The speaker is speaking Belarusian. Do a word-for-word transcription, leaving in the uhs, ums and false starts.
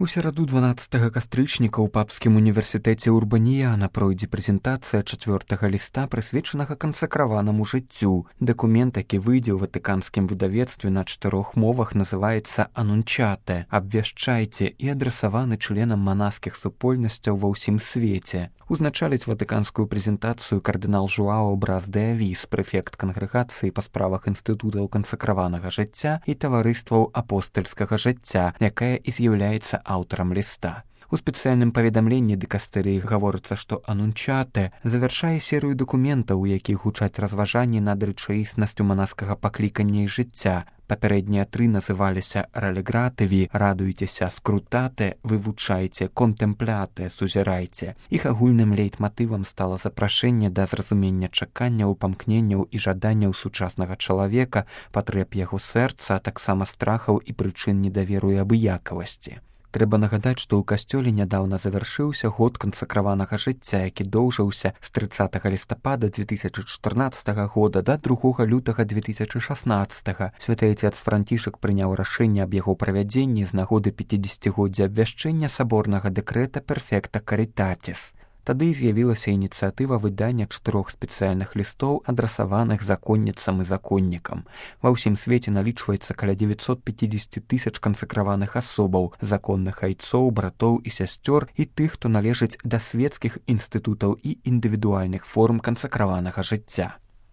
У сераду дванаццатага кастрычніка ў папскім універсітэце Урбаніяна пройдзе прэзентацыя чацвёртага ліста, прысвечанага кансакраванаму жыццю. Дакумент, які выйдзе ў ватыканскім выдавецтве на чатырох мовах, называецца «Анунчате» – «Абвяшчайце» і адрасаваны членам манаскіх супольнасцяў ва ўсім свеце. Узначаліць ватыканскую прэзентацыю кардынал Жуао Брас де Авіс, прэфект кангрэгацыі па справах інстытутаў кансакраванага жыцця і таварыстваў апостальскага жыцця, якая і з'яўляецца аўтарам ліста. У спецыяльным паведамленні дыкастэрыі гаворыцца, што «Анунчате» завяршае серыю дакументаў, у якіх гучаць разважанні над рэчаіснасцю манаскага паклікання і жыцця. Папярэднія тры называліся «Ралегратыві», «Радуйцеся», «Скрутате», «Вывучайце», «Контэмпляте», «Сузірайце». Іх агульным лейтматывам стала запрашэнне да зразумення чаканняў, памкненняў і жаданняў сучаснага чалавека, патрэб яго сэрца, а таксама страхаў і прычын недаверу і абыякавасці. Трэба нагадаць, што ў касцёле нядаўна завяршыўся год кансакраванага жыцця, які доўжыўся з трыццатага лістапада дзве тысячы чатырнаццатага года да другога лютага дзве тысячы шаснаццатага. Святы Айцец Францішак прыняў рашэнне аб яго правядзенні з нагоды пяцідзесяцігоддзя абвяшчэння саборнага дэкрэта «Перфекта Каритатис». Тады з'явілася ініцыятыва выдання чатырох спецыяльных лістоў, адрасаваных законніцам і законнікам. Ва ўсім свеце налічваецца каля дзевяцьсот пяцьдзесят тысяч кансакраваных асобаў, законных айцоў, братоў і сясцёр і тых, хто належыць да свецкіх інстытутаў і індывідуальных форм кансакраванага жыцця.